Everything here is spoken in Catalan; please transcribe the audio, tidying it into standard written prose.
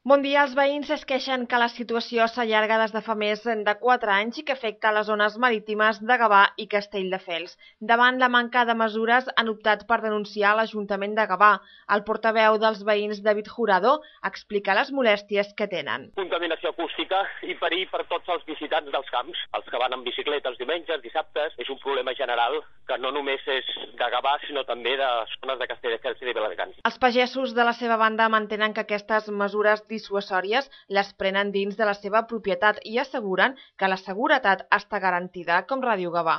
Bon dia. Els veïns es queixen que la situació s'allarga des de fa més de 4 anys i que afecta les zones marítimes de Gavà i Castelldefels. Davant la manca de mesures han optat per denunciar l'Ajuntament de Gavà. El portaveu dels veïns, David Jurado, explica les molèsties que tenen. Contaminació acústica i perill per tots els visitants dels camps. Els que van en bicicleta els diumenges, dissabtes, és un problema general que no només és de Gavà, sinó també de zones de Castelldefels i de Viladecans. Els pagesos, de la seva banda, mantenen que aquestes mesures dissuasòries les prenen dins de la seva propietat i asseguren que la seguretat està garantida, com Ràdio Gavà.